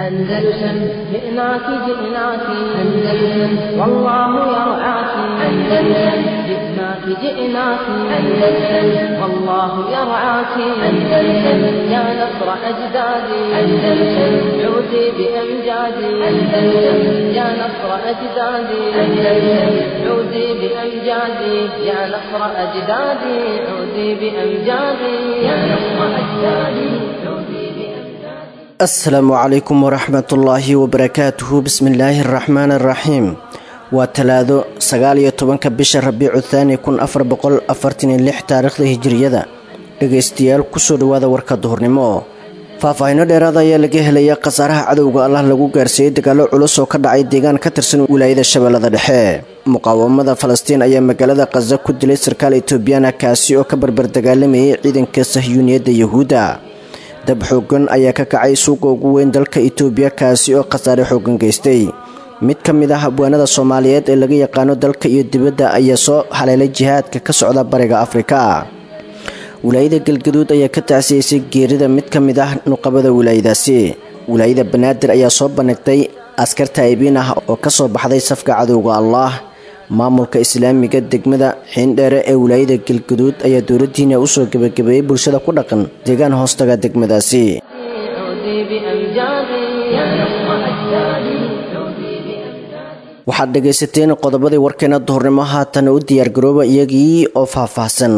أندلسن جئناك جئناك أندلسن والله يرعاك أندلسن جئناك جئناك أندلسن والله يرعاك أندلسن يا نصر أجدادي أندلسن عودي بأمجادي أندلسن يا نصر أجدادي أندلسن عودي بأمجادي يا نصر أجدادي عودي بأمجادي يا نصر أجدادي عودي. Asalaamu calaykum waraxmatullaahi wabarakaatuhu. Bismillaahi araxmaani araxiim. Waa Talaado, 19-ka bisha Rabiicu Thaani 1446 taariikhda Hijiriyada. Dhegaystayaal, kusoo dhawaada warka duhurnimo. Faahfaahino dheeraada ayaa laga helaya khasaaraha cadowga Allah lagu gaarsiiyey dagaalo culus oo ka dhacay deegaan ka tirsan wilaayada Shabeellada Dhexe. Muqaawamada Falastiin ayaa magaalada Khaza ku dilay sarkaal Etoobiyana, kaasi oo ka barbar dagaalamayay ciidanka Sahyuuniyadda Yahuudda. Dab xoogan ayaa ka kacay suuqa ugu weyn dalka Itoobiya, kaasi oo khasaare xoogan geystay. Mid ka mid ah habwaanada Soomaaliyeed ee laga yaqaano dalka iyo dibadda ayaa soo haleelay jihaadka ka socda Bariga Afrika. Wilaayada Galgaduud ayaa ka tacsiyeysay geerida mid ka mid ah nuqabada wilaayadaasi. Wilaayada Banaadir ayaa soo bandhigtay askar taa'ibiin ah oo kasoo baxday safka cadowga Allah. Maamulka islaamiga degmada Xiindheere ee wilaayada Galgaduud ayaa dowladdiina usoo gebagabeeyey bulshada ku dhaqan deegaan hoostaga degmadaasi. عودي بأمجادي يا نصر أجدادي عودي بأمجادي. Waxaad dhegaysateen qodobadii warkeena duhurnimo. Haatan u diyaargarooba iyagii oo faahfaahsan.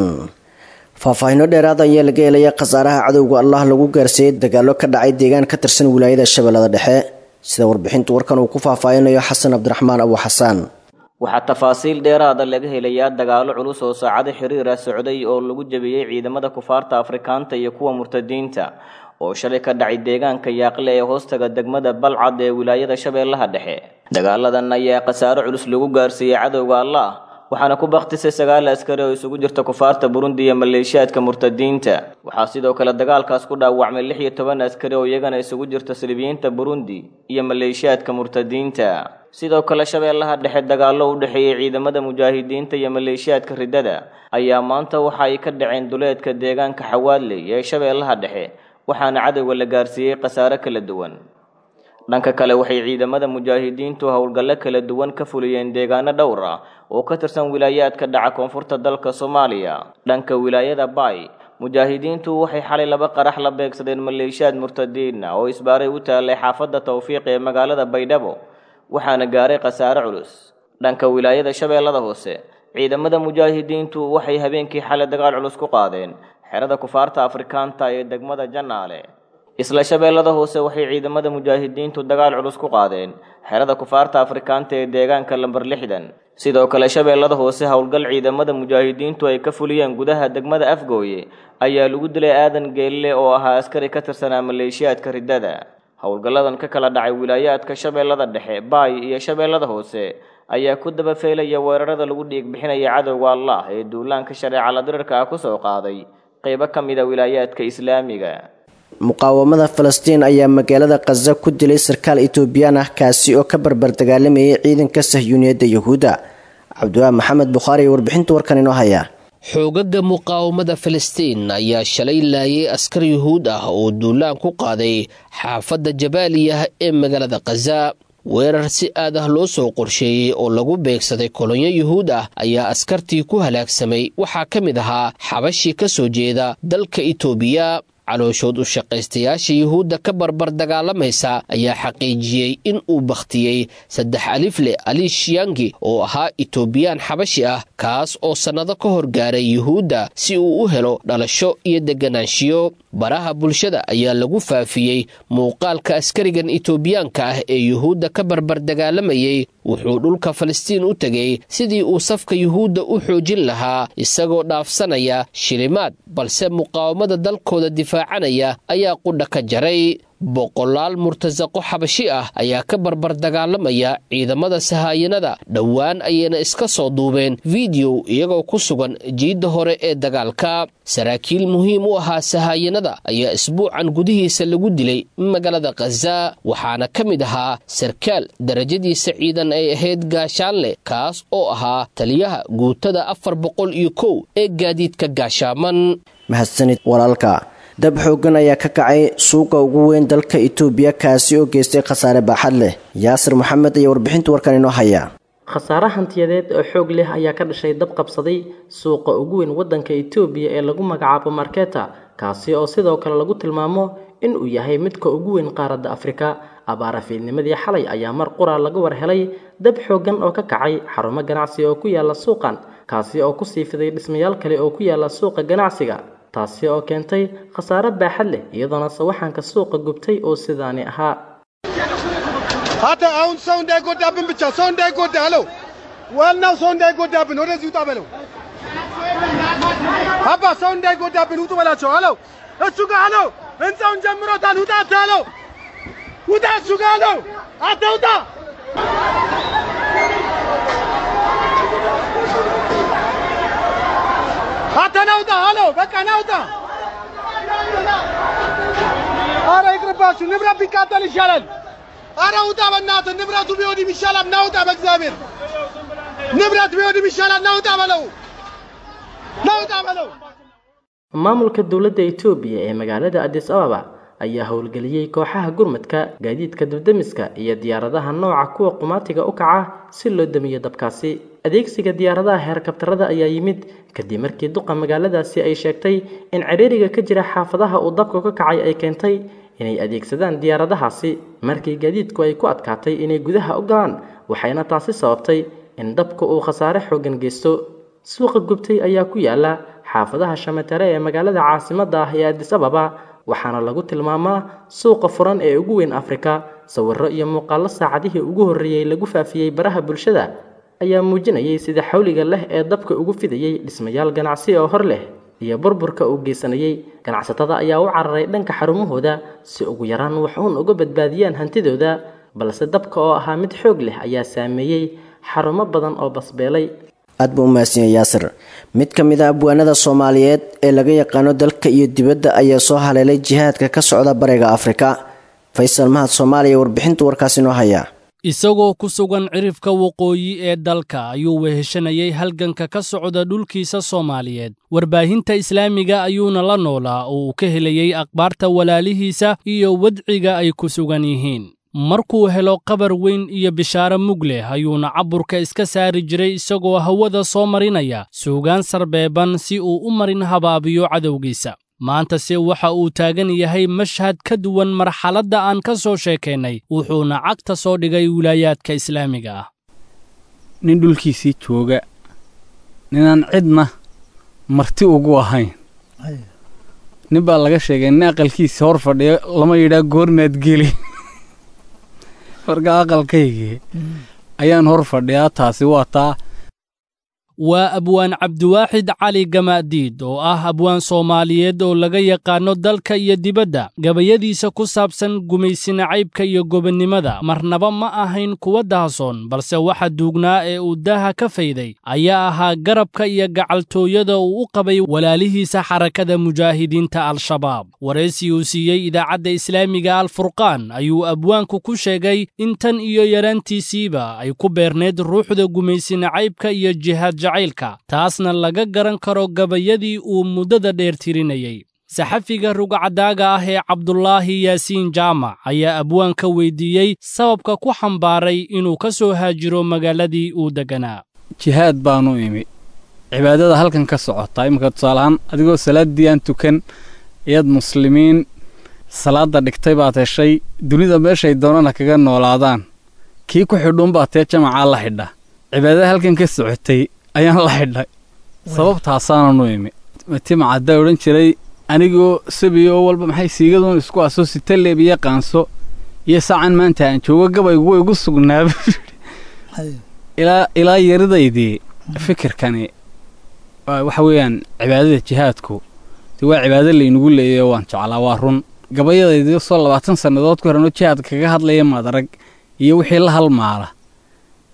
Faahfaahino dheeraada ayaa laga helaya khasaaraha cadowga Allah lagu gaarsiiyey dagaalo ka dhacay deegaan ka tirsan wilaayada Shabeellada Dhexe, sida warbixintu warkan uu ku faahfaahinayo Xasan Cabdiraxmaan Abu Xasaan. Waxaa tafaasiil dheeraada laga helayaa dagaalo culus oo saacado xiriira socday oo lagu jabiyey ciidamada kufaarta Afrikaanta iyo kuwa murtadiinta oo shalay ka dhacay deegaanka Yaaqle ee hoostaga degmada Balcad ee wilaayada Shabeellaha Dhexe. Dagaaladan ayaa khasaaro culus lagu gaarsiiyey cadowga Allah, waxaana ku bakhtisay 9 askari oo isugu jirta kufaarta Burundi iyo maleeshiyaadka murtadiinta. Waxaa sidoo kale dagaalkaas ku dhaawacmay 16 askari oo iyagana isugu jirta saliibiyiinta Burundi iyo maleeshiyaadka murtadiinta. Sidoo kale Shabeellaha Dhexe, dagaallo u dhexeeyey ciidamada mujaahidiinta iyo maleeshiyaadka riddada ayaa maanta waxa ay ka dhaceen duleedka deegaanka Xawaadley ee Shabeellaha Dhexe, waxaana cadowga la gaarsiiyey khasaare kala duwan. Dhanka kale, waxay ciidamada mujaahidiintu howlgallo kala duwan ka fuliyeen deegaano dhowr ah oo ka tirsan wilaayaadka dhaca koonfurta dalka Soomaaliya. Dhanka wilaayada Baay, mujaahidiintu waxay xalay 2 qarax la beegsadeen maleeshiyaad murtadiin ah oo isbaaray u taalay xaafadda Tawfiiq ee magaalada Baydhabo, waxaana gaaray khasaare culus. Dhanka wilaayada Shabeellada Hoose, ciidamada mujaahidiintu waxay habeenkii xalay dagaal culus ku qaadeen xerada kufaarta Afrikaanta ee degmada Janaale. Isla Shabeellada Hoose, waxay ciidamada mujaahidiintu dagaal culus ku qaadeen xerada kufaarta Afrikaanta ee deegaanka lambar 60. Sidoo kale Shabeellada Hoose, howlgal ciidamada mujaahidiintu ay ka fuliyeen gudaha degmada Afgooye ayaa lagu dilay Aadan Geelle oo ahaa askari ka tirsanaa maleeshiyaadka riddada. Howlgalladan ka kala dhacay wilaayaadka Shabeellada Dhexe, Baay iyo Shabeellada Hoose ayaa ku daba feelaya weerarada lagu dhiig bixinaya cadowga Allah ee duulaanka shareeca la dirirka ah kusoo qaaday qeybo ka mid a wilaayaadka islaamiga. Muqaawamada Falastiin ayaa magaalada Khaza ku dilay sarkaal Etoobiyaan ah, kaasi oo ka barbar dagaalamayay ciidanka Sahyuuniyadda Yahuudda. Cabdiwaa Maxamed Bukhaari warbixinta warkan inoo haya. Xoogaga muqaawamada Filistiin ayaa shalay laayay askar Yuhuud ah oo duulaan ku qaaday xaafadda Jabaaliyah ee magaalada Khaza. Weerar si aad ah loo soo qorsheeyey oo lagu beegsaday kolonyo Yuhuud ah ayaa askartii ku halaagsamay waxaa ka mid ahaa xabashii ka soo jeeda dalka Itoobiya. Calooshood u shaqaystayaasha Yuhuudda ka barbar dagaalamaysa ayaa xaqiijiyey in uu bakhtiyey 3 alifle Ali Shiyangi oo ahaa Itoobiyaan xabashi ah, kaas oo sannado ka hor gaaray Yuhuudda si uu u helo dhalasho iyo deganaanshiyo. Baraha bulshada ayaa lagu faafiyey muuqaalka askarigan Itoobiyaanka ah ee Yuhuudda ka barbar dagaalamayey. Wuxuu dhulka Falastiin u tegey sidii uu safka Yuhuudda u xoojin lahaa, isagoo dhaafsanaya shilimaad, balse muqaawamada dalkooda difaacanaya ayaa qudha ka jaray. Boqolaal murtasaqo xabashi ah ayaa ka barbar dagaalamaya ciidamada sahaayanada. Dhowaan ayayna iska soo duubeen fideow iyagoo ku sugan jiidda hore ee dagaalka. Saraakiil muhiim u ahaa sahaayanada ayaa isbuucan gudihiisa lagu dilay magaalada Khaza, waxaana ka mid ahaa sarkaal darajadiisa ciidan ay ahayd gaashaanle, kaas oo ahaa taliyaha guutada 401 ee gaadiidka gaashaaman. Mahadsanid walaalka. Dab xooggan ayaa ka kacay suuqa ugu weyn dalka Itoobiya, kaasi oo geystay khasaare baaxad leh. Yaasir Maxamed ayaa warbixinta warkan inoo haya. Khasaare hantiyadeed oo xoog leh ayaa ka dhashay dab qabsaday suuqa ugu weyn waddanka Itoobiya ee lagu magacaabo Marketa, kaasi oo sidoo kale lagu tilmaamo in uu yahay midka ugu weyn qaaradda Afrika. Abaara fiidnimadii xalay ayaa mar qura laga war helay dab xooggan oo ka kacay xarumo ganacsi oo ku yaala suuqan, kaasi oo ku sii fiday dhismayaal kale oo ku yaala suuqa ganacsiga, taasi oo keentay khasaare baaxad leh, iyadoona sawaxanka suuqa gubtay oo sidaani ahaa. አንተ አሁን ሰው እንዳይጎዳብን ብቻ ሰው እንዳይጎዳ አለው። ዋናው ሰው እንዳይጎዳብን ወደዚህ ውጣ በለው። አባ ሰው እንዳይጎዳብን ውጡ በላቸው አለው። እሱ ጋር አለው። ህንፃውን ጀምሮታል። ውጣ አንተ አለው። ውጣ እሱ ጋር አለው። አንተ ውጣ። አንተ ና ውጣ አለው። በቃ ና ውጣ። ኧረ ይቅርባችሁ፣ ንብረት ቢቃጠል ይሻላል። አረ ውጣ በእናትህ፣ ንብረቱ ቢወድም ይሻላል። ና ውጣ፣ በእግዚአብሔር ንብረት ቢወድም ይሻላል። ና ውጣ በለው፣ ና ውጣ በለው። Maamulka dowladda Itoobiya ee magaalada Addis Ababa ayaa howlgeliyey kooxaha gurmadka, gaadiidka dab-demiska iyo diyaaradaha nooca kuwa qumaatiga u kaca si loo damiyo dabkaasi. Adeegsiga diyaaradaha heerkabtarada ayaa yimid kadib markii duqa magaaladaasi ay sheegtay in ciriiriga ka jira xaafadaha uu dabku ka kacay ay keentay inay adeegsadaan diyaaradahaasi markii gaadiidku ay ku adkaatay inay gudaha u galaan, waxayna taasi sababtay in dabku uu khasaare xooggan geysto. Suuqa gubtay ayaa ku yaala xaafadaha Shamatare ee magaalada caasimadda ah ee Addis Ababa, waxaana lagu tilmaamaa suuqa furan ee ugu weyn Afrika. Sawirro iyo muuqaallo saacadihii ugu horreeyey lagu faafiyey baraha bulshada ayaa muujinayay sida xawliga leh ee dabka ugu fidayey dhismayaal ganacsi oo hor leh iyo burburka uu geysanayay. Ganacsatada ayaa u cararay dhanka xarumahooda si ugu yaraan wax uun uga badbaadiyaan hantidooda, balse dabka oo ahaa mid xoog leh ayaa saameeyey xarumo badan oo basbeelay. Aad buu u mahadsan yahay Yaasir. Mid ka mid ah abwaanada Soomaaliyeed ee laga yaqaano dalka iyo dibadda ayaa soo haleelay jihaadka ka socda bariga Afrika. Faysal Mahad Soomaaliya warbixinta warkaasi inoo haya. Isagoo ku sugan cirifka waqooyi ee dalka ayuu weheshanayay halganka ka socda dhulkiisa Soomaaliyeed. Warbaahinta islaamiga ayuuna la noolaa oo uu ka helayey akhbaarta walaalihiisa iyo wadciga ay ku sugan yihiin. Markuu helo qabar weyn iyo bishaaro mug leh ayuuna caburka iska saari jiray isagoo hawada soo marinaya suugaan sarbeeban si uu u marin habaabiyo cadowgiisa. Maantase waxa uu taagan yahay mashhad ka duwan marxaladda aan ka soo sheekaynay, wuxuuna cagta soo dhigay wilaayaadka islaamiga ah. Nin dhulkiisii jooga, ninaan cidna marti ugu ahayn. Nin baa laga sheegay nin aqalkiisa hor fadhiyo lama yidhaa goormaad geli. Marka aqalkaygii ayaan hor fadhiyaa, taasi waa taa. Waa abwaan Cabdiwaaxid Cali Gamaadiid oo ah abwaan Soomaaliyeed oo laga yaqaano dalka iyo dibadda. Gabayadiisa ku saabsan gumaysinacaybka iyo gobonnimada marnaba ma ahayn kuwa dahasoon, balse waxa duugnaa ee uu daaha ka fayday ayaa ahaa garabka iyo gacaltooyada uu u qabay walaalihiisa xarakada mujaahidiinta Al-Shabaab. Waraysi uu siiyey idaacadda islaamiga Al-Furqaan ayuu abwaanku ku sheegay in tan iyo yaraantiisiiba ay ku beerneed ruuxda gumaysinacaybka iyo jihaad jacaylka, taasna laga garan karo gabayadii uu muddada dheer tirinayay. Saxafiga rugcadaaga ah ee Cabdulaahi Yaasiin Jaamac ayaa abwaanka weydiiyey sababka ku xambaaray inuu ka soo haajiro magaaladii uu deganaa. Jihaad baanu imi, cibaadada halkan ka socotaa iminka tusaaleahaan adigoo salaaddii aan tukan iyaad muslimiin salaadda dhigtay baad heshay, dunida meeshay doonana kaga noolaadaan, kii ku xidhuun baa tee jamacaa la xidha. Cibaadada halkan ka socotay ayaan la xidhay, sababtaasaananu imi. Timacaddaa odhan jiray anigoo sabiyo oo walba maxay siigaduun isku aso sitaleeb iyo qaanso iyo saacan maanta aan joogo gabaygu way igu sugnaa. Ilaa yaridaydii fikirkani waxa weeyaan cibaadada jihaadku dee waa cibaado laynagu leeyayo, waan jeclaa, waa run. Gabayadaydii soo 20 sannadood ku horan oo jihaadka kaga hadlaya maad arag iyo wixii la halmaala,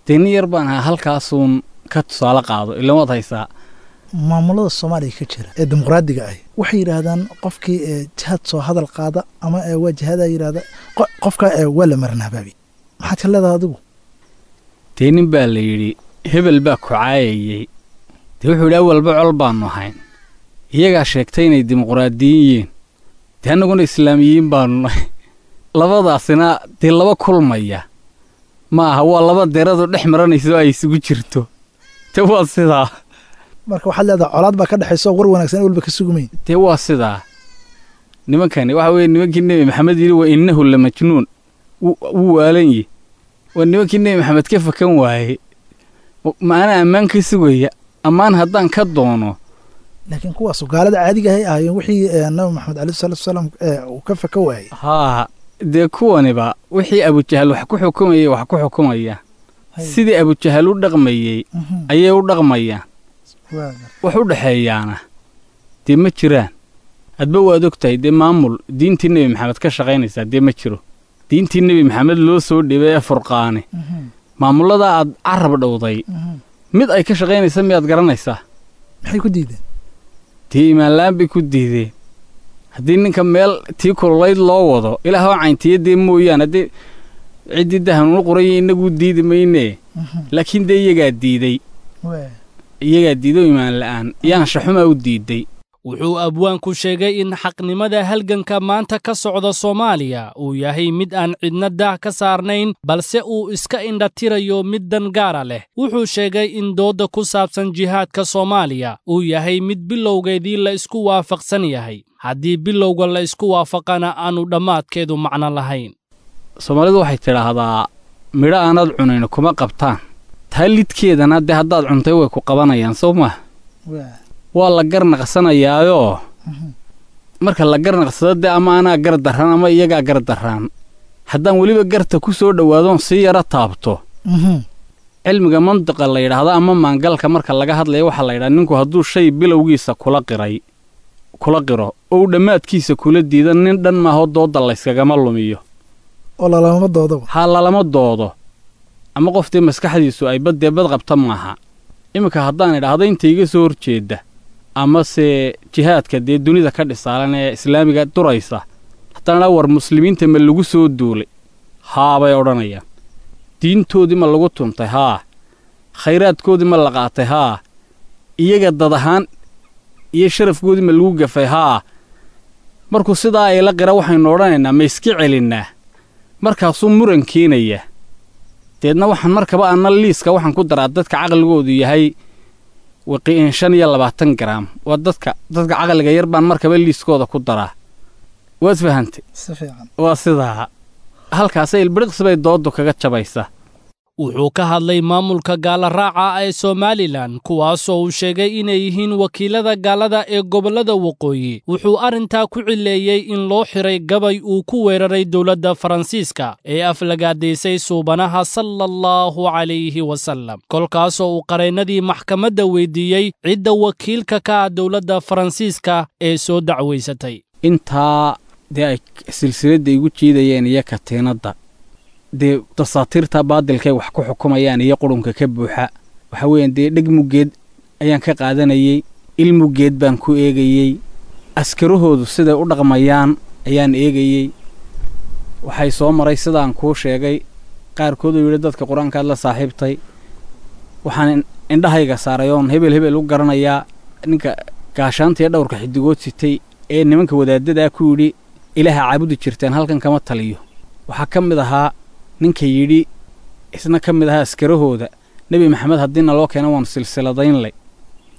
dee nin yar baan ahaa halkaasuun ka tusaale qaado ilan waad haysaa. Maamulada Soomaaliya ka jira ee dimuqraadiga ah waxay yidhaahdaan qofkii jihaad soo hadal qaada ama waa jihaada yidhahda qofka waa la marin habaabi. Maxaad ka leedahay adigu? Dee nin baa la yidhi hebel baa ku caayayey, dee wuxuu yidhi awalba col baannu ahayn, iyagaa sheegtay inay dimuqraadiyin yihiin, Dee annaguna islaamiyiin baanu nahay. Labadaasina dee laba kulmaya ma aha, waa laba deradu dhex maranayso ay isugu jirto. Dee waa sidaa. Marka waxaad leedahay colaad baa ka dhexayso, war wanaagsan walba ka sugmayn. Dee waa sidaa. Nimankani waxa weeye nimankii Nebi Maxamed yidhi wa innahu la majnuun, wuu waalan yihi. Waa nimankii Nebi Maxamed ka fakan waayey. Ma anaa ammaan ka sugaya? Ammaan haddaan ka doono. Laakiin kuwaasu gaalada caadiga ahay ahaayeen wixii Nabi Maxamed alayhi salaatu wasalaam uu ka faka waayey. Haa, dee kuwaniba wixii Abujahal wax ku xukumayay wax ku xukumaya, sidii Abujahal u dhaqmayey ayay u dhaqmayaan. Wax u dhexeeyaana dee ma jiraan. Hadba waad og tahay, dee maamul diintii Nebi Maxamed ka shaqaynaysaa dee ma jiro. Diintii Nebi Maxamed loo soo dhibay ee Furqaane, maamullada aad carab dhowday mid ay ka shaqaynaysa miyaad garanaysaa? Maxay ku diideen? Dee iimaanla'aan bay ku diideen. Haddii ninka meel tii kululayd loo wado, ilaahoo cayntiya dee mooyaane, haddii ciddii dahanuunu qoranya innaguu diidi maynee, laakiin dee iyagaa diiday, iyagaa diiday oo iimaan la'aan yaanshaxumaa u diiday. Wuxuu abwaanku sheegay in xaqnimada halganka maanta ka socda Soomaaliya uu yahay mid aan cidna daah ka saarnayn, balse uu iska indhatirayo mid dan gaara leh. Wuxuu sheegay in doodda ku saabsan jihaadka Soomaaliya uu yahay mid bilowgeedii la isku waafaqsan yahay, haddii bilowga la isku waafaqana aanu dhammaadkeedu macno lahayn. Soomaalidu waxay tidhaahdaa midho aanaad cunayn kuma qabtaan, taa lidkeedana dee haddaad cuntay way ku qabanayaan, soo maa? Waa la garnaqsanayaayoo marka la garnaqsado dee ama anaa gar darraan ama iyagaa gar darraan. Haddaan weliba garta ku soo dhowaadoon sii yaro taabto, cilmiga mantiqa la yidhaahdo ama maangalka marka laga hadlaya waxaa la yidhaha ninku hadduu shay bilowgiisa kula qiray kula qiro oo uu dhammaadkiisa kula diido, nin dhan maahoo doodda layskagama lumiyo. Oo lalama doodoba. Ha lalama doodo, ama qoftii maskaxdiisu ay baddee bad qabta maaha. Iminka haddaan idhaahdo inta iga soo horjeedda amase jihaadka dee dunida ka dhisaalan ee islaamiga duraysa, haddaan idhaa war muslimiinta ma lagu soo duulay? Haa bay odhanayaan. Diintoodii ma lagu tuntay? Haa. Khayraadkoodii ma la qaatay? Haa. Iyaga dad ahaan iyo sharafkoodii ma lagu gafay? Haa. Markuu sidaa ayla qira waxaynu odhanaynaa ma iska celinnaa? Markaasuu muran keenaya. Deedna waxaan markaba anna liiska waxaan ku daraa dadka caqligoodu yahay 25 garaam. Waa dadka caqliga yar baan markaba liiskooda ku daraa. Waad fahantay? Si fiican. Waa sidaa. Halkaasay ilbiriqsi bay dooddu kaga jabaysaa. Wuxuu ka hadlay maamulka gaala raaca ee Somalilan, kuwaasoo uu sheegay inay yihiin wakiilada gaalada ee gobollada waqooyi. Wuxuu arrintaa ku cileeyey in loo xiray gabay uu ku weeraray dowladda Faransiiska ee aflagaadaysay suubanaha sallallahu calayhi wasallam, kolkaasoo uu qareennadii maxkamadda weydiiyey cidda wakiilka ka ah dowladda Faransiiska ee soo dacwaysatay. Intaa dee ay silsiladda igu jiidayeen iyo katiinadda, dee dasaatiirta baadilkay wax ku xukumayaan iyo qurunka ka buuxa, waxa weeyaan dee dheg muggeed ayaan ka qaadanayey, il muggeed baan ku eegayey, askarahoodu siday u dhaqmayaan ayaan eegayey. Waxay soo maray sidaan kuu sheegay qaarkood uu yidhi dadka qur-aankaad la saaxiibtay. Waxaan indhahayga saaray oon hebel hebel u garanayaa ninka gaashaanta iyo dhowrka xidigood sitay ee nimanka wadaaddadaa ku yidhi ilaaha caabudi jirteen halkan kama taliyo. Waxaa ka mid ahaa ninka yidhi isna ka mid ahaa askarahooda Nebi Maxamed haddii naloo keeno waanu silsiladaynlay.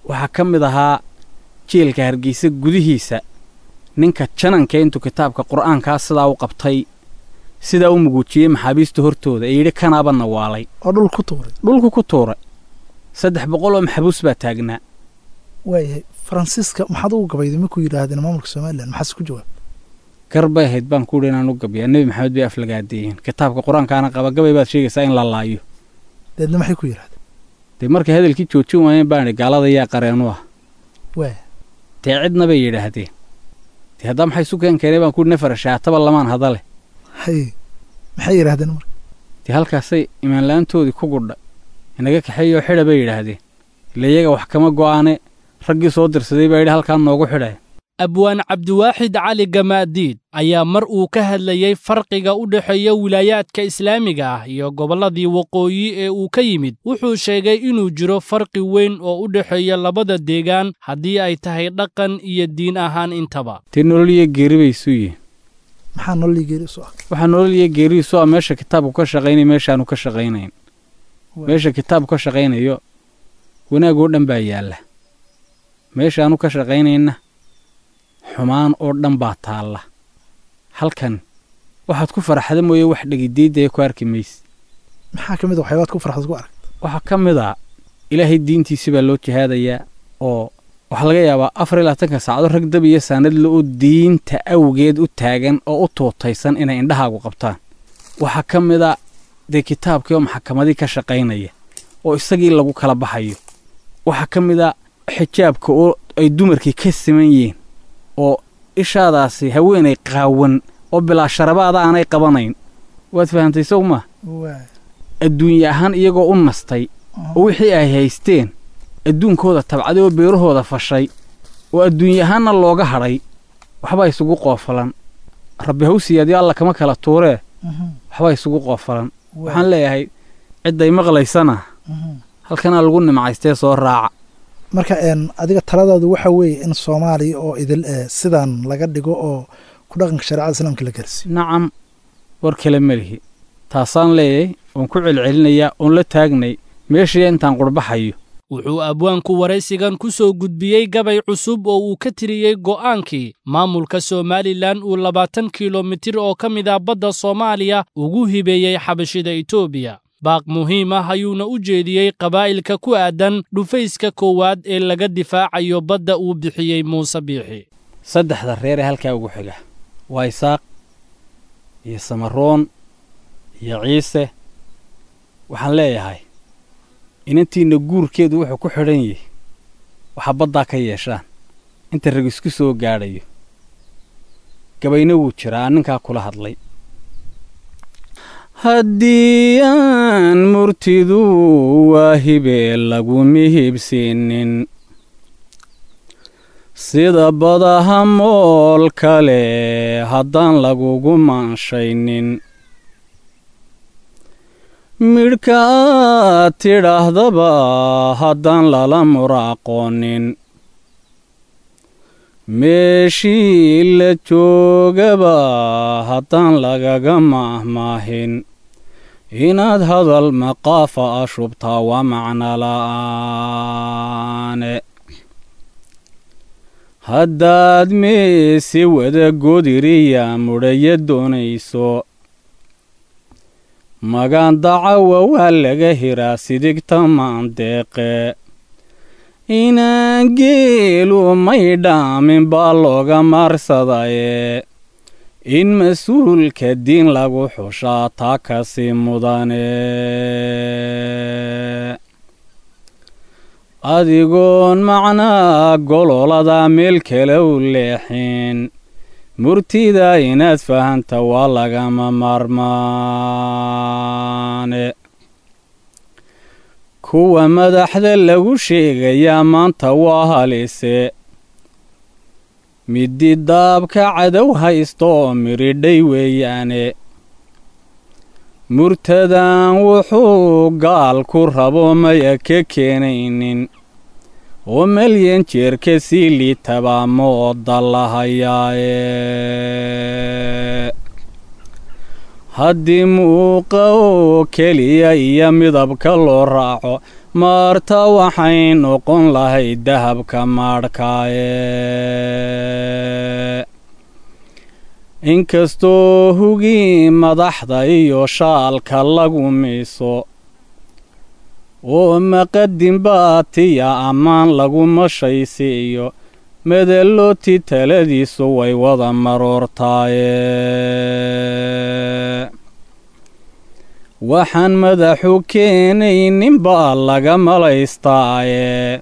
Waxaa ka mid ahaa jeelka Hargeysa gudihiisa ninka jananka intuu kitaabka qur'aankaa sidaa u qabtay, sidaa u muguujiyey maxaabiista hortooda ee yidhi kanaaba nawaalay oo dhul ku tuuray. Dhulku ku tuuray. 300 oo maxbuus baa taagnaa. Waayahay, Faransiiska maxaad ugu gabayday markuu yidhaahdeen maamulka Somalilan, maxaase ku jawaab? Gar bay ahayd baan ku yidhi inaan u gabiyaa. Nebi Maxamed bay aflagaadeeyeen, kitaabka qur-aankaana qaba, gabay baad sheegaysaa in la laayo. Deedna maxay ku yidhahdeen? Dee markay hadalkii joojin waayeen baan idhi gaalada yaa qareenu ah. Waaya. Dee cidna bay yidhaahdeen. Dee haddaa maxay isu keen keenay baan ku yidhi nafar shaataba lamaan hadale. Haye, maxay yidhaahdeen marka? Dee halkaasay imaanla'aantoodii ku gudha inaga kaxeeyoo xidha bay yidhaahdeen. Ila iyaga wax kama go'aane, raggii soo dirsaday baa yidhi halkaan noogu xidhaya. Abwaan Cabdiwaaxid Cali Gamaadiid ayaa mar uu ka hadlayey farqiga u dhexeeya wilaayaadka islaamiga ah iyo gobolladii waqooyi ee uu ka yimid, wuxuu sheegay inuu jiro farqi weyn oo u dhexeeya labada deegaan haddii ay tahay dhaqan iyo diin ahaan intaba. Tii nolol iyo geeri bay isu yihiin. Maxaa nolol iyo geeri isu ah? Waxaa nolol iyo geeri isu ah meesha kitaabku ka shaqaynaya, meeshaanu ka shaqaynayn. Meesha kitaabku ka shaqaynayo wanaag oo dhan baa yaalla, meeshaanu ka shaqaynayna xumaan oo dhan baa taalla. Halkan waxaad ku faraxda mooye wax dhegidiidaya ku arki mayse. Maxaa ka mid a waxyaabaad ku farxad ku aragta? Waxaa ka mid a Ilaahay diintiisi baa loo jihaadayaa, oo waxaa laga yaabaa 24-ka saacado rag dab iyo saanadle oo diinta awgeed u taagan oo u tuutaysan inay indhahaagu qabtaan. Waxaa ka mid a dee kitaabkii oo maxakamadii ka shaqaynaya oo isagii lagu kala baxayo. Waxaa ka mid a xijaabka oo ay dumarkii ka siman yihiin, oo ishaadaasi haweenay qaawan oo bilaa sharabaada aanay qabanayn. Waad fahamtay sow maa? Adduunye ahaan iyagoo u nastay oo wixii ay haysteen adduunkooda tabcaday oo beerahooda fashay oo adduunye ahaanna looga hadhay, waxbaa isugu qoofalan. Rabbi haw siyaadiyo, Alla kama kala tuuree, waxbaa isugu qoofalan. Waxaan leeyahay cidday maqlaysana halkanaa lagu nimcaystee soo raaca. Marka adiga taladaadu waxa weeye in Soomaaliya oo idil sidaan laga dhigo oo ku dhaqanka shareecada islaamka la gaarsiiyo. Nacam, war kale ma lihi, taasaan leeyahay oon ku celcelinayaa oon la taagnay meeshii intaan qurbaxayo. Wuxuu abwaanku waraysigan ku soo gudbiyey gabay cusub oo uu ka tiriyey go'aankii maamulka Somalilan uu 20 kilomitir oo ka mid ah badda Soomaaliya ugu hibeeyey xabashida Itoobiya. Baaq muhiim ah ayuuna u jeediyey qabaa'ilka ku aadan dhufayska koowaad ee laga difaacayo badda uu bixiyey Muuse Biixi. Saddexda reer ee halkaa ugu xiga waa Isaaq iyo Samaroon iyo Ciise. Waxaan leeyahay inantiinna guurkeedu wuxuu ku xidhan yahay waxaa baddaa ka yeeshaan inta rag isku soo gaadhayo. Gabayna wuu jiraa ninkaa kula hadlay. Haddii aan murtidu waa hibe laguma hibsiinin, sida badaha mool kale haddaan lagugu maanshaynin, midhka aad tidhaahdaba haddaan lala muraaqoonin, meeshii la joogaba haddaan lagaga maahmaahin, inaad hadal maqaafa a shubtaa waa macno la'aane. Haddaad meesi wada godiriya mudhaya doonayso, magaan dacawa waa laga hiraa sidigta maandeeqe, inaan geelu may dhaamin baa looga maarsadaye, in mas-uulka diin lagu xushaa taa kasi mudane. Adigoon macnaa gololada meel kale u leexin, murtida inaad fahanta waa lagama maarmaane. Kuwa madaxda lagu sheegayaa maanta waa halise, midi daabka cadow haysto oo miridhay weeyaane. Murtadan wuxuu gaal ku rabo maya ka keenaynin, oo malyan jeer ka sii liitabaa mooda la hayaaye. Haddii muuqa oo keliya iyo midabka loo raaco, maarta waxay noqon lahayd dahabka maadhkaaye. Inkastoo hugii madaxda iyo shaalka lagu miiso, oo maqadin baatiya ammaan lagu mashaysiiyo, medelooti taladiisu way wada maroortaaye. Waxaan madaxu keenaynin baa laga malaystaaye.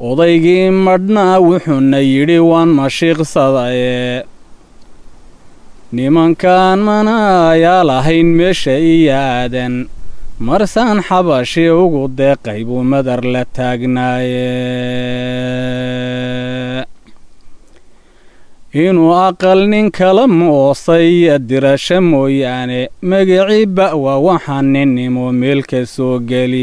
Odaygii madhnaa wuxuuna yidhi waan mashiiqsadaye. Nimankaan manaayaa lahayn meesha iyo aadan, marsaan xabashi ugu deeqay buu madar la taagnaaye. Inuu aqal nin kala moosay dirasho mooyaane, magiciiba waa waxaan ninnimo meelka soo geline.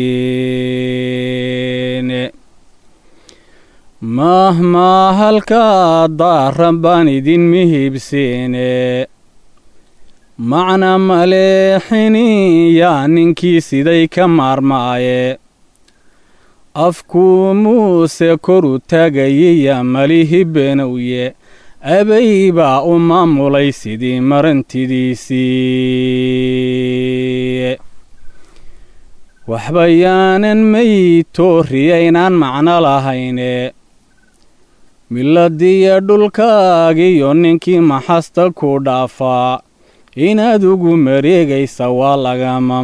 Mahmaa halkaa daaran baan idin mihibsiine, macna maleexini yaa ninkii siday ka maarmaaye. Afkuu Muuse koru taagayiya malihi beenowye, abay baa u maamulay sidii marantidiisii. Waxba yaanan maytooriyaynaan macno lahayne, miladiya dhulkaagiyo ninkii maxasta ku dhaafaa inaad ugu mareegaysa waa lagama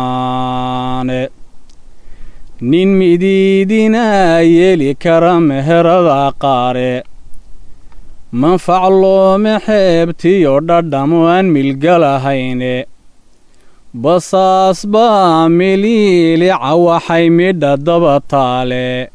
maarmaane. Nin midiidinaa yeeli kara meherada qaare, manfac loome xeebtiyo dhadhamo aan milgalahayne. Basaas baa miliilica waxay midha daba taale,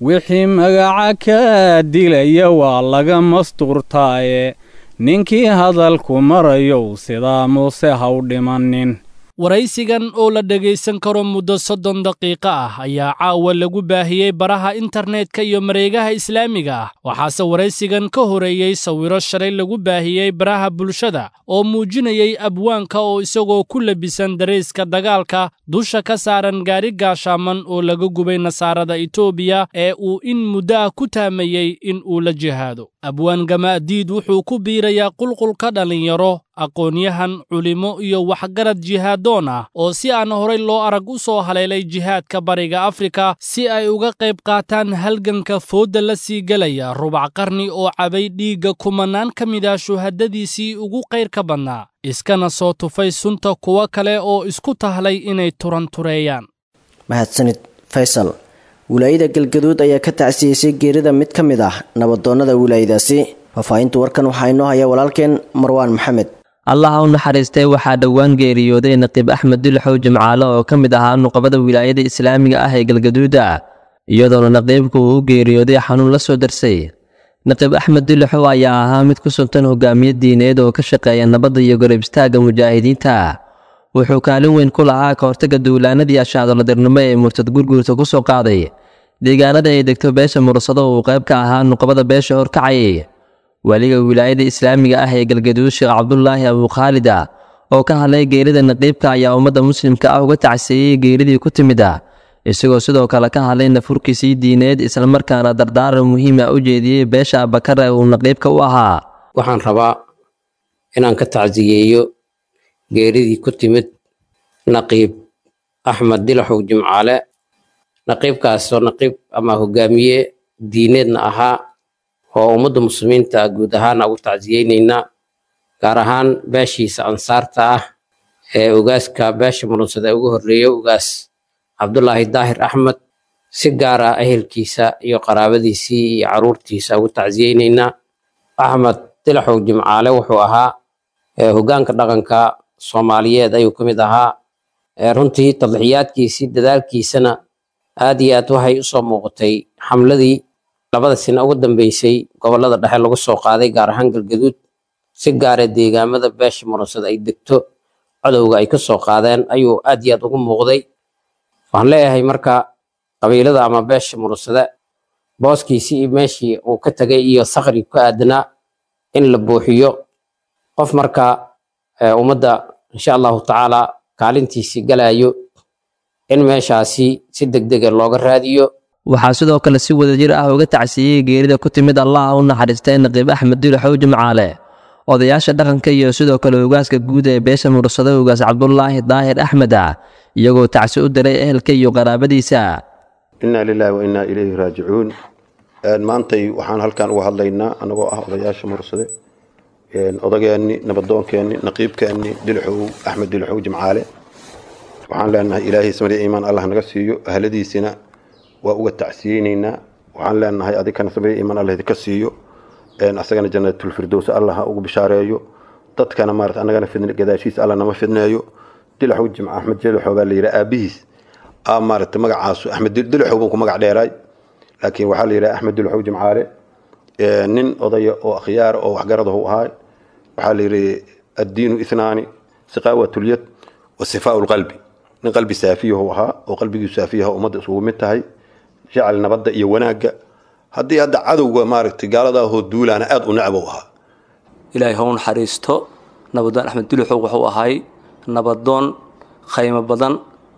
wixii magaca kaa dilaya waa laga masturtaaye. Ninkii hadalku marayow sidaa Muuse ha u dhimanin. Waraysigan oo la dhegaysan karo muddo 30 daqiiqo ah ayaa caawa lagu baahiyey baraha internetka iyo mareegaha islaamiga ah. Waxaase waraysigan ka horeeyey sawiro shalay lagu baahiyey baraha bulshada oo muujinayey abwaanka oo isagoo ku labisan dareeska dagaalka dusha ka saaran gaari gaashaaman oo laga gubay nasaarada Itoobiya ee uu in muddo ah ku taamayey in uu la jihaado. Abwaan Gamaadiid wuxuu ku biirayaa qulqulka dhallinyaro, aqoon-yahan, culimo iyo waxgarad jihaadoon ah oo si aan horay loo arag u soo haleelay jihaadka Bariga Afrika si ay uga qayb qaataan halganka foodda la sii gelaya rubac qarni oo cabay dhiigga kumanaan ka mid ah shuhadadiisii ugu qayrka badnaa, iskana soo tufay sunta kuwo kale oo isku tahlay inay turantureeyaan. Mahadsanid Faysal. Wilaayada Galgaduud ayaa ka tacsiyeysay geerida mid ka mid ah nabadoonnada wilaayadaasi. Faahfaahinta warkan waxaa inoo haya walaalkeen Marwaan Maxamed. Allaha u naxariistay, waxaa dhowaan geeriyooday Naqiib Axmed Dulxow Jimcaale oo ka mid ahaa nuqabada wilaayada islaamiga ah ee Galgaduuda, iyadoona naqiibku uu u geeriyooday xanuun la soo darsay. Naqiib Axmed Dulxow ayaa ahaa mid ku suntan hogaamiye diineed oo ka shaqeeya nabadda iyo garab istaagga mujaahidiinta. Wuxuu kaalin weyn ku lahaa ka hortagga duulaanadii ashaadoladirnimo ee murtad Gurguurta ku soo qaaday deegaanada ay degto beesha Mursado uu qayb ka ahaa nuqabada beesha horkacayay. Waliga wilaayada islaamiga ah ee Galgaduud, Sheekh Cabdulaahi Abukhaalida, oo ka hadlay geerida naqiibka ayaa ummadda muslimka ah uga tacsiiyey geeridii ku timid, isagoo sidoo kale ka hadlay nafurkiisii diineed, islamarkaana dardaaran muhiima u jeediyey beesha Abakar ee uu naqiibka u ahaa. Waxaan rabaa inaan ka tacsiyeeyo geeridii ku timid Naqiib Axmed Dilaxow Jimcaale, naqiibkaasoo naqiib ama hogaamiye diineedna ahaa oo ummadda muslimiinta guud ahaan ugu tacsiyeynaynaa, gaar ahaan beeshiisa ansaarta ah ee ugaaska beesha Murunsada ugu horreeya, Ugaas Cabdulaahi Daahir Axmed. Si gaara ehelkiisa iyo qaraabadiisii iyo caruurtiisa ugu tacsiyeynaynaa. Axmed Dilaxow Jimcaale wuxuu ahaa hoggaanka dhaqanka Soomaaliyeed ayuu ka mid ahaa. Runtii tadxiyaadkiisii dadaalkiisana aad iyo aad waxay usoo muuqatay xamladii labada sano ugu dambeysay gobolada dhexe lagu soo qaaday, gaar ahaan Galgaduud, si gaara deegaamada beesha Murunsada ay degto cadowga ay ka soo qaadeen ayuu aad iyo aad ugu muuqday. Waxaan leeyahay marka qabiilada ama beesha Murunsada booskiisii iyo meeshii uu ka tagay iyo sakri ku aadanaa in la buuxiyo qof marka ummadda insha Allahu tacaala kaalintiisii galayo in meeshaasi si degdega looga raadiyo. Waxaa sidoo kale si wadajir ah uga tacsiiyey geerida ku timid Allaha u naxariistay Naqiib Axmed Dulxow Jimcaale odayaasha dhaqanka iyo sidoo kale ugaaska guud ee beesha Mursado, Ugaas Cabdulaahi Daahir Axmed, iyagoo tacsi u diray ehelka iyo qaraabadiisa. Inaa lilaahi wa innaa ilayhi raajicuun. Maantay waxaan halkan uga hadlaynaa anagoo ah odayaasha Mursade, odageenni, nabadoonkeenni, naqiibkeenni Dilxow Axmed Dilxow Jimcaale. Waxaan leenahay Ilaahay samriya iimaan Allah naga siiyo, ahladiisina waa uga tacsiyeynaynaa. Waxaan leenahay adikana samriya iimaan Allah idinka siiyo, asagana jannatulfirdows Allah ha ugu bishaareeyo, dadkana maarata annagana fidn gadaashiisa Allah nama fidneeyo. Dilxow Jimca Axmed Dilxow baa la yidhaha, aabihiis maarata magacaasu Axmed Dilxow buu ku magac dheeraay, laakiin waxaa la yidhaha Axmed Dilxow Jimcaale. Nin odaya oo akhyaara oo waxgaradahu ahaa. Waxaa la yidhi addiinu ithnaani, siqaawatulyad wa sifaau lqalbi. Nin qalbi saafiyahu ahaa oo qalbigiisu saafiyaha, ummadda isugu mid tahay, jecel nabadda iyo wanaagga. Haddii hadda cadowga maaragtay gaaladaahoo duulaana aad u necbow ahaa. Ilaahay ha u naxariisto nabadoon Axmed Duluxow. Wuxuu ahay nabadoon khaymo badan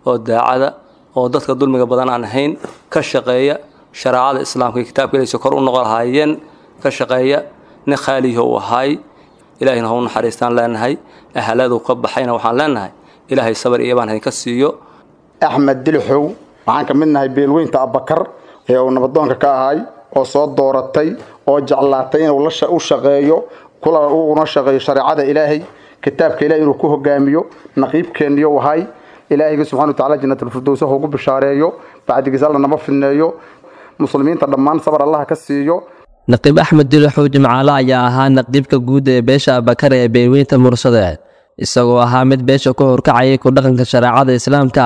oo daacada oo dadka dulmiga badan aan ahayn, ka shaqeeya shareecada islaamka iyo kitaabka ilaysa kor u noqon lahaayeen ka shaqeeya. Nin khaaliyaho uu ahay. Ilaahayna ha u naxariistaan leenahay. Ahaladu ka baxayna waxaan leenahay Ilaahay sabar iyo baan idinka siiyo. Axmed Dilixow waxaan ka mid nahay beelweynta Abakar ee uu nabadoonka ka ahay oo soo dooratay oo jeclaatay inuu u shaqeeyo, kula uuna shaqeeyo shareecada Ilaahay, kitaabka Ilaahay inuu ku hogaamiyo. Naqiibkeenniyo ahay. Ilaahayga subxana watacaala jannatulfirdows ha ugu bishaareeyo. Bacdigiis Alla nama fidneeyo. Muslimiinta dhammaan sabar Allaha ka siiyo. Naqiib Axmed Dilaxow Jimcaale ayaa ahaa naqiibka guud ee beesha Abakar ee beelweynta Mursade, isagoo ahaa mid beesha ku horkacayay ku dhaqanka shareecada islaamka,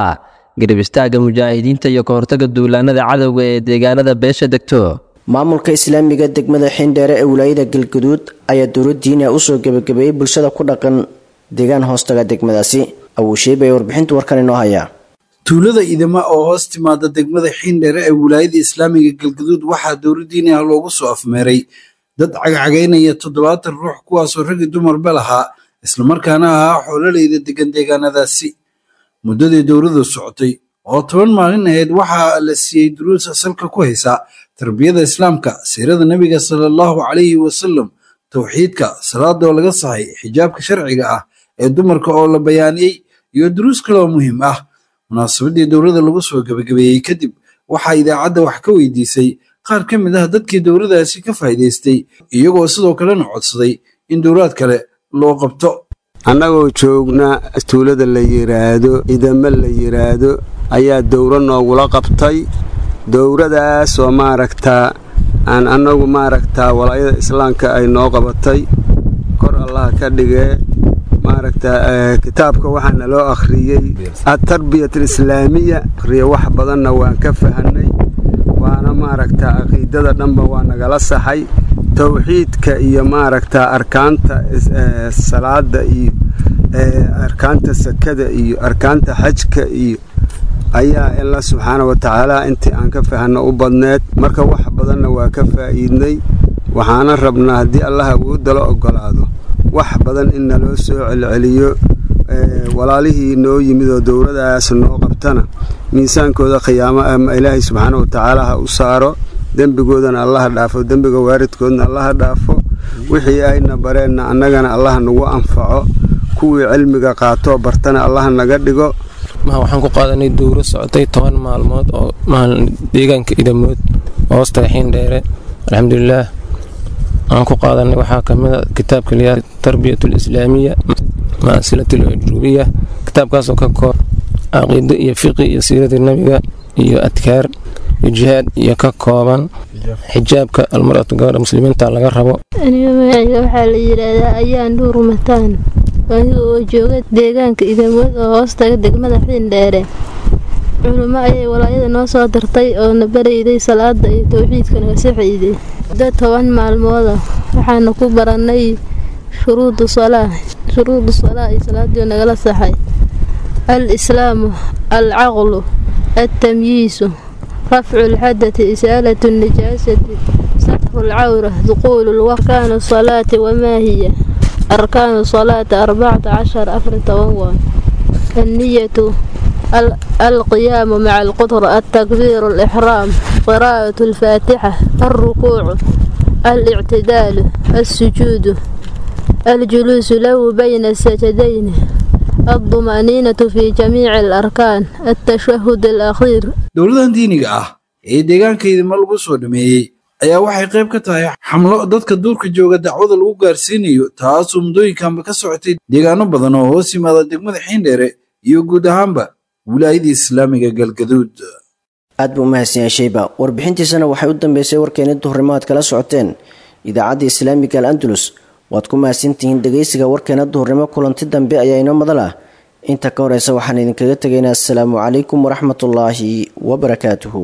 garab istaagga mujaahidiinta iyo ka hortagga duulaanada cadowga ee deegaanada beesha degto. Maamulka islaamiga degmada Xindheere ee wilaayada Galgaduud ayaa dowlad diini ah usoo gebagabeeyey bulshada ku dhaqan deegaan hoostaga degmadaasi. Awosheeb ayaa warbixinta warkan inoo hayaa. Tuulada Idama oo hoos timaada degmada Xiindheere ee wilaayada islaamiga Galgaduud waxaa dowladdiini ah loogu soo afmeeray dad cagcagaynaya 70 ruux, kuwaasoo raggi dumarba lahaa, islamarkaana ahaa xoololeyda degan deegaanadaasi. Muddadii dowladdu socotay oo 10 maalin ahayd waxaa la siiyey duruus salka ku haysa tarbiyada islaamka, siirada nebiga sala allahu calayhi wasalam, towxiidka, salaada oo laga saxay, xijaabka sharciga ah ee dumarka oo la bayaaniyey iyo duruus kale oo muhiim ah. Munaasabadii dowladda lagu soo gebagabeeyey kadib waxaa idaacadda wax ka weydiisay qaar ka mid ah dadkii dowladaasi ka faa'iidaystay, iyagoo sidoo kalena codsaday in dowlaad kale loo qabto. Annagoo joogna tuulada la yidhaahdo Idamo la yidhaahdo ayaa dowro noogula qabtay. Dowradaas oo maaragtaa aan annagu maaragtaa walaayada islaamka ay noo qabatay, kor Allaha ka dhigee. Maaragtaa kitaabka waxaa naloo akhriyey Atarbiyat Alislaamiya akhriya. Wax badanna waan ka fahanay, waana maaragtaa caqiidada dhanba waa nagala saxay, towxiidka iyo maaragtaa arkaanta salaada iyo arkaanta sakada iyo arkaanta xajka iyo ayaa Alla subxaana wa tacaala intii aan ka fahanno u badneed. Marka wax badanna waa ka faa'iidnay, waxaana rabnaa haddii Allah awoodda la ogolaado wax badan in naloo soo celceliyo. Walaalihii noo yimid oo dowladaas noo qabtana miisaankooda khiyaamo ama Ilaahay subxaana wa tacaala ha u saaro, dembigoodana Allaha dhaafo, dembiga waaridkoodna Allaha dhaafo, wixii ayna bareenna annagana Allaha nagu anfaco, kuwii cilmiga qaatoo bartana Allaha naga dhigo. Waxaan ku qaadanay dowro socotay 10 maalmood oo maalin deegaanka Idamood hoostaga Xiindheere. Alxamdulilaah, aan ku qaadanay waxaa kamid a kitaabka liyaa Tarbiyat Alislaamiya maasilat alcujrubiya, kitaabkaasoo ka koob caqiido iyo fiqi iyo siirada nebiga iyo adkaar iyo jihaad iyo ka kooban xijaabka almar'atu, gabadha muslimiinta laga rabo. Aniga magacayga waxaa la yidhaahdaa Ayaan Dhuur Mataan, aniga oo jooga deegaanka Idamood oo hoostaga degmada Xiindheere. Culummo ayay walaayada noo soo dirtay oo na barayday salaada iyo towxiidka naga saxayday muddo 10 maalmooda. Waxaana ku baranay shuruudu salaa, shuruudu salaa iyo salaadii nagala saxay: al islaamu, alcaqlu, altamyiisu, rafcu lxadati, isaalatu nijaasati, satru lcawra, duquulu arkaanu salaati. Wamaa hiya arkaanu salaati? 14, 14 waa anniyatu, القيام مع القدرة، التكبير الإحرام، قراءة الفاتحة، الركوع، الاعتدال، السجود، الجلوس له بين السجدين، الطمأنينة في جميع الأركان، التشهد الأخير. Dowladan diiniga ah ee deegaanka Idimo lagu soo dhameeyey ayaa waxay qayb ka tahay xamlo dadka duurka jooga dacwada lagu gaarsiinayo, taasoo muddooyinkanba ka socotay deegaano badan oo hoos yimaada degmada Xiindheere iyo guud ahaanba wilaayadii islaamiga Galgaduud. Aad buu umahadsan yahay Sheyba. Warbixintiisana waxay u dambeysay warkeeni duhurnimo aad kala socoteen idaacadda islaamiga Al Andalus. Waad ku mahadsantihiin dhegeysiga warkeena duhurnimo. Kulanti dambe ayaa inoo madal ah. Inta ka horeysa waxaan idinkaga tegaynaa asalaamu calaykum waraxmatullaahi wabarakaatuhu.